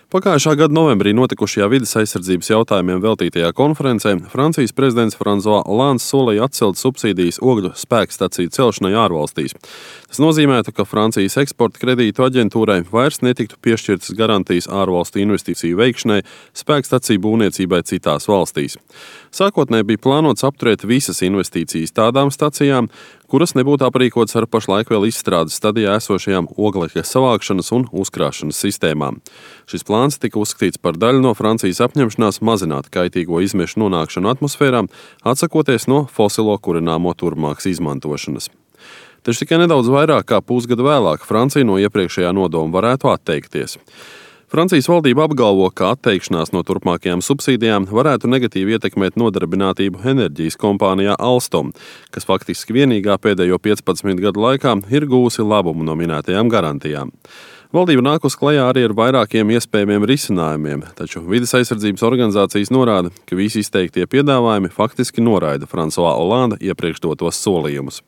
Pagājušā gada novembrī notikušajā vides aizsardzības jautājumiem veltītajā konferencē Francijas prezidents François Hollands solīja atcelt subsīdijas ogļu spēkstaciju celšanai ārvalstīs. Tas nozīmētu, ka Francijas eksporta kredītu aģentūrai vairs netiktu piešķirtas garantijas ārvalstu investīciju veikšanai spēkstaciju būvniecībai citās valstīs. Sākotnēji bija plānots apturēt visas investīcijas tādām stacijām, kuras nebūtu aprīkotas ar pašlaik vēl izstrādes stadijā esošajām oglekļa savākšanas un uzkrāšanas sistēmām. Šis plāns tika uzskatīts par daļu no Francijas apņemšanās mazināt kaitīgo izmešu nonākšanu atmosfērā, atsakoties no fosilo kurināmo turpmākas izmantošanas. Taču tikai nedaudz vairāk kā pusgadu vēlāk Francija no iepriekšējā nodoma varētu atteikties. Francijas valdība apgalvo, ka atteikšanās no turpmākajām subsīdijām varētu negatīvi ietekmēt nodarbinātību enerģijas kompānijā Alstom, kas faktiski vienīgā pēdējo 15 gadu laikā ir gūsi labumu no minētajām garantijām. Valdība nākus klajā arī ar vairākiem iespējamiem risinājumiem, taču vides aizsardzības organizācijas norāda, ka visi izteiktie piedāvājumi faktiski noraida François Hollanda iepriekš dotos solījumus.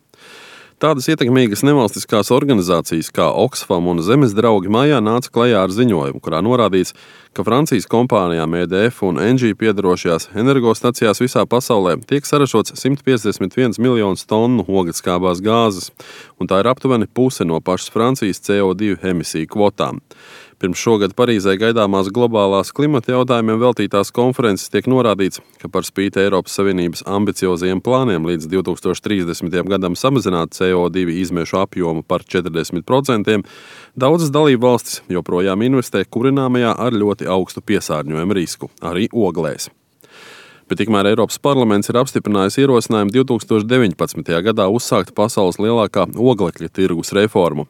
Tādas ietekmīgas nevalstiskās organizācijas kā Oxfam un Zemes draugi mājā nāca klajā ar ziņojumu, kurā norādīts, ka Francijas kompānijām EDF un Engie piedarošajās energostacijās visā pasaulē tiek saražots 151 miljonus tonu oglekļskābās gāzes, un tā ir aptuveni puse no pašas Francijas CO2 emisiju kvotām. Pirms šogad Parīzē gaidāmās globālās klimata jautājumiem veltītās konferences tiek norādīts, ka par spīti Eiropas Savienības ambiciozajiem plāniem līdz 2030. gadam samazināt CO2 izmešu apjomu par 40%, daudzas dalību valstis joprojām investē kurināmajā ar ļoti augstu piesārņojumu risku, arī oglēs. Bet tikmēr Eiropas parlaments ir apstiprinājis ierosinājumu 2019. gadā uzsākt pasaules lielākā oglekļa tirgus reformu.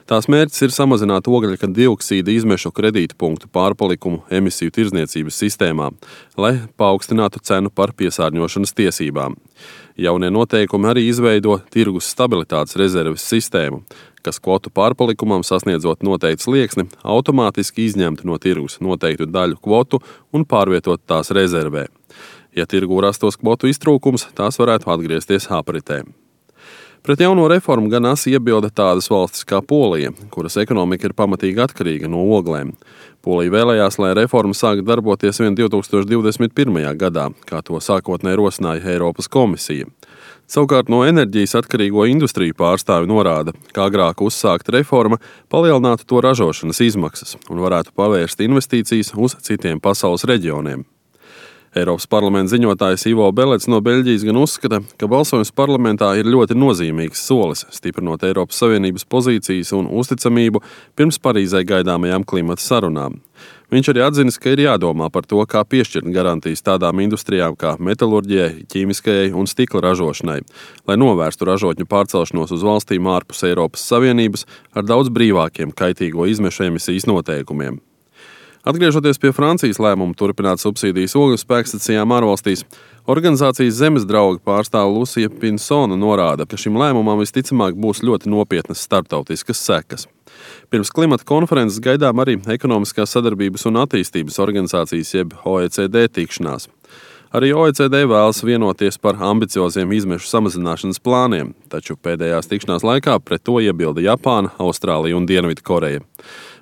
Tās mērķis ir samazināt ogļa dioksīda izmešu kredītpunktu pārpalikumu emisiju tirdzniecības sistēmā, lai paaugstinātu cenu par piesārņošanas tiesībām. Jaunie noteikumi arī izveido tirgus stabilitātes rezerves sistēmu, kas kvotu pārpalikumam sasniedzot noteiktu slieksni, automātiski izņemtu no tirgus noteiktu daļu kvotu un pārvietot tās rezervē. Ja tirgū rastos kvotu iztrūkums, tās varētu atgriezties apritē. Pret jauno reformu gan asi iebilda tādas valstis kā Polija, kuras ekonomika ir pamatīgi atkarīga no oglēm. Polija vēlējās, lai reforma sāk darboties vien 2021. gadā, kā to sākotnēji rosināja Eiropas komisija. Savukārt no enerģijas atkarīgo industriju pārstāvi norāda, ka agrāk uzsākta reforma palielinātu to ražošanas izmaksas un varētu pavērst investīcijas uz citiem pasaules reģioniem. Eiropas parlamenta ziņotājs Ivo Belets no Beļģijas gan uzskata, ka balsojums parlamentā ir ļoti nozīmīgs solis, stiprinot Eiropas Savienības pozīcijas un uzticamību pirms Parīzē gaidāmajām klimata sarunām. Viņš arī atzinis, ka ir jādomā par to, kā piešķirt garantijas tādām industrijām kā metalurģijai, ķīmiskajai un stikla ražošanai, lai novērstu ražotņu pārcelšanos uz valstīm ārpus Eiropas Savienības ar daudz brīvākiem kaitīgo izmešu emisijas noteikumiem. Atgriežoties pie Francijas lēmumu turpināt subsīdijas ogļu spēkstacijām ārvalstīs, organizācijas Zemes draugi pārstāve Lucija Pinsona norāda, ka šim lēmumam visticamāk būs ļoti nopietnas starptautiskas sekas. Pirms klimata konferences gaidām arī Ekonomiskās sadarbības un attīstības organizācijas jeb OECD tikšanās. Arī OECD vēlas vienoties par ambicioziem izmešu samazināšanas plāniem, taču pēdējās tikšanās laikā pret to iebilda Japāna, Austrālija un Dienvidkoreja.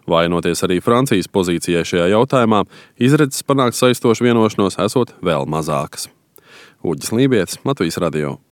Vainoties arī Francijas pozīcijai šajā jautājumā, izredzes panākt saistošu vienošanos esot vēl mazākas. Uģis Lībietis, Latvijas radio.